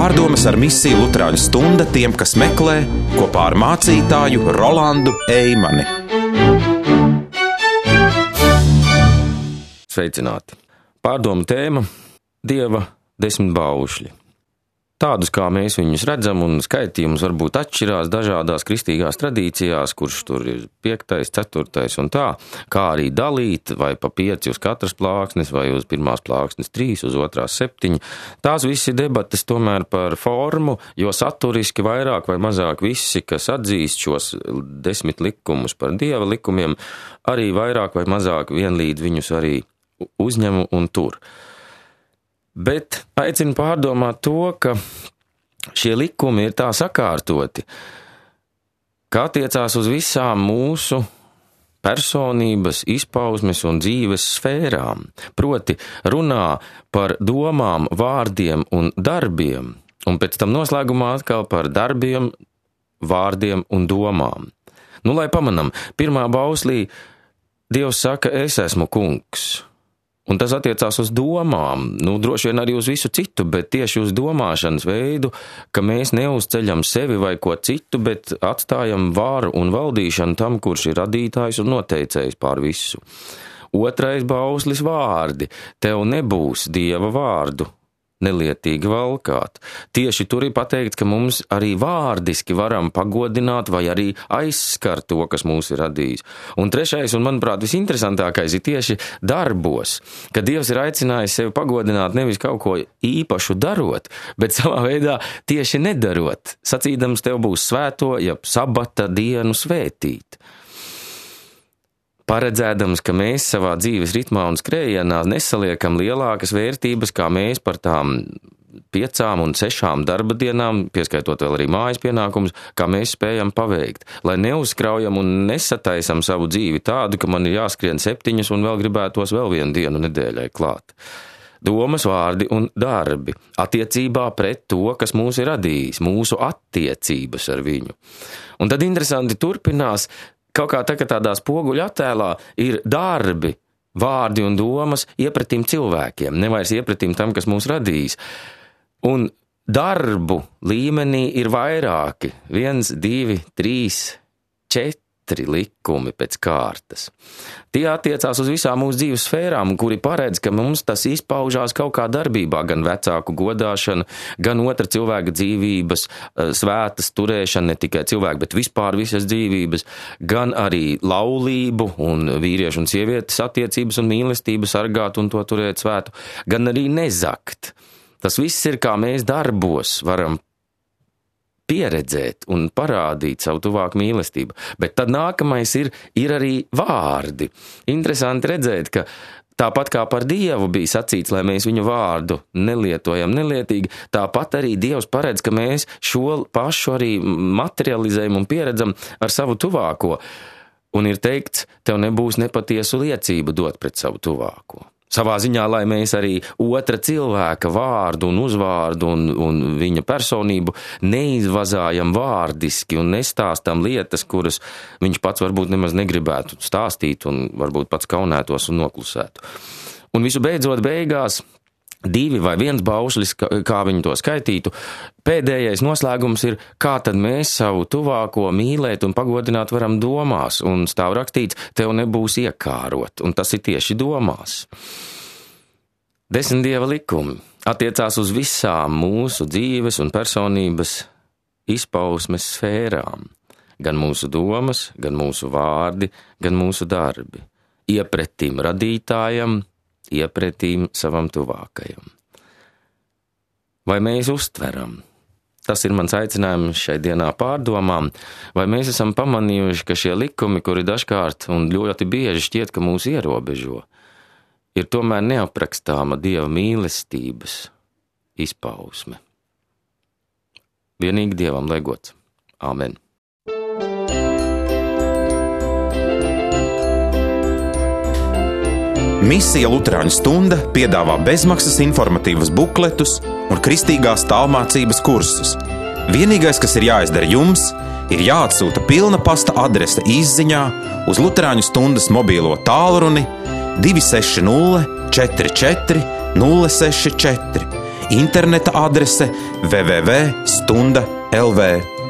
Pārdomas ar misiju Luterāņu stunda tiem, kas meklē, kopā ar mācītāju Rolandu Eimani. Sveicināti! Pārdomu tēma – Dieva 10 baušļi. Tādus, kā mēs viņus redzam, un skaitījums varbūt atšķirās dažādās kristīgās tradīcijās, kurš tur ir 5., 4. un tā, kā arī dalīt, vai pa 5 uz katras plāksnes, vai uz pirmās plāksnes 3, uz otrās 7. Tās visi debates tomēr par formu, jo saturiski vairāk vai mazāk visi, kas atzīst šos 10 likumus par Dieva likumiem, arī vairāk vai mazāk vienlīdz viņus arī uzņem un tur. Bet aicinu pārdomāt to, ka šie likumi ir tā sakārtoti, ka attiecās uz visām mūsu personības, izpausmes un dzīves sfērām. Proti runā par domām, vārdiem un darbiem, un pēc tam noslēgumā atkal par darbiem, vārdiem un domām. Lai pamanam, pirmā bauslī Dievs saka, es esmu kungs. Un tas attiecās uz domām, droši vien arī uz visu citu, bet tieši uz domāšanas veidu, ka mēs neuzceļam sevi vai ko citu, bet atstājam varu un valdīšanu tam, kurš ir radītājs un noteicējs pār visu. Otrais bauslis vārdi. Tev nebūs Dieva vārdu nelietīgi valkāt. Tieši tur ir pateikts, ka mums arī vārdiski varam pagodināt vai arī aizskart to, kas mūs ir radījis. Un trešais, un manuprāt visinteresantākais, ir tieši darbos, ka Dievs ir aicinājis sevi pagodināt nevis kaut ko īpašu darot, bet savā veidā tieši nedarot, sacīdams tev būs svēto, jeb sabata dienu svētīt. Paredzēdams, ka mēs savā dzīves ritmā un skrējienā nesaliekam lielākas vērtības, kā mēs par tām 5 un 6 darba dienām, pieskaitot vēl arī mājas pienākumus, kā mēs spējam paveikt, lai neuzkraujam un nesataisam savu dzīvi tādu, ka man ir jāskrien 7 un vēl gribētos vēl 1 dienu nedēļai klāt. Domas, vārdi un darbi attiecībā pret to, kas mūs ir radījis, mūsu attiecības ar viņu. Un tad interesanti turpinās, kaut kā tādā spoguļa attēlā ir darbi, vārdi un domas iepratīm cilvēkiem, nevairs iepratīm tam, kas mūs radījis. Un darbu līmenī ir vairāki, 1, 2, 3, 4 likumi pēc kārtas. Tie attiecās uz visām mūsu dzīves sfērām, kuri paredz, ka mums tas izpaužās kaut kā darbībā, gan vecāku godāšana, gan otra cilvēka dzīvības, svētas turēšana, ne tikai cilvēku, bet vispār visas dzīvības, gan arī laulību un vīriešu un sievietes attiecības un mīlestību sargāt un to turēt svētu, gan arī nezakt. Tas viss ir, kā mēs darbos varam pieredzēt un parādīt savu tuvāku mīlestību. Bet tad nākamais ir arī vārdi. Interesanti redzēt, ka tāpat kā par Dievu bija sacīts, lai mēs viņu vārdu nelietojam nelietīgi, tāpat arī Dievs paredz, ka mēs šo pašu arī materializējam un pieredzam ar savu tuvāko. Un ir teikts, tev nebūs nepatiesu liecību dot pret savu tuvāko. Savā ziņā, lai mēs arī otra cilvēka vārdu un uzvārdu un viņa personību neizvazājam vārdiski un nestāstam lietas, kuras viņš pats varbūt nemaz negribētu stāstīt un varbūt pats kaunētos un noklusētu. Un visu beidzot beigās 2 vai 1 baušlis, kā viņi to skaitītu, pēdējais noslēgums ir, kā tad mēs savu tuvāko mīlēt un pagodināt varam domās, un stāv rakstīts, tev nebūs iekārot, un tas ir tieši domās. 10 Dieva likumi attiecās uz visām mūsu dzīves un personības izpausmes sfērām, gan mūsu domas, gan mūsu vārdi, gan mūsu darbi, iepretīm radītājam, iepretīm savam tuvākajam. Vai mēs uztveram? Tas ir mans aicinājums šai dienā pārdomām, vai mēs esam pamanījuši, ka šie likumi, kuri dažkārt un ļoti bieži šķiet, ka mūs ierobežo, ir tomēr neaprakstāma Dieva mīlestības izpausme. Vienīgi Dievam lai gods. Āmen. Misija Luterāņu stunda piedāvā bezmaksas informatīvus bukletus un kristīgās tālmācības kursus. Vienīgais, kas ir jāizdara jums, ir jāatsūta pilna pasta adrese izziņā uz Luterāņu stundas mobīlo tālruni 260 44 064 interneta adrese www.stunda.lv.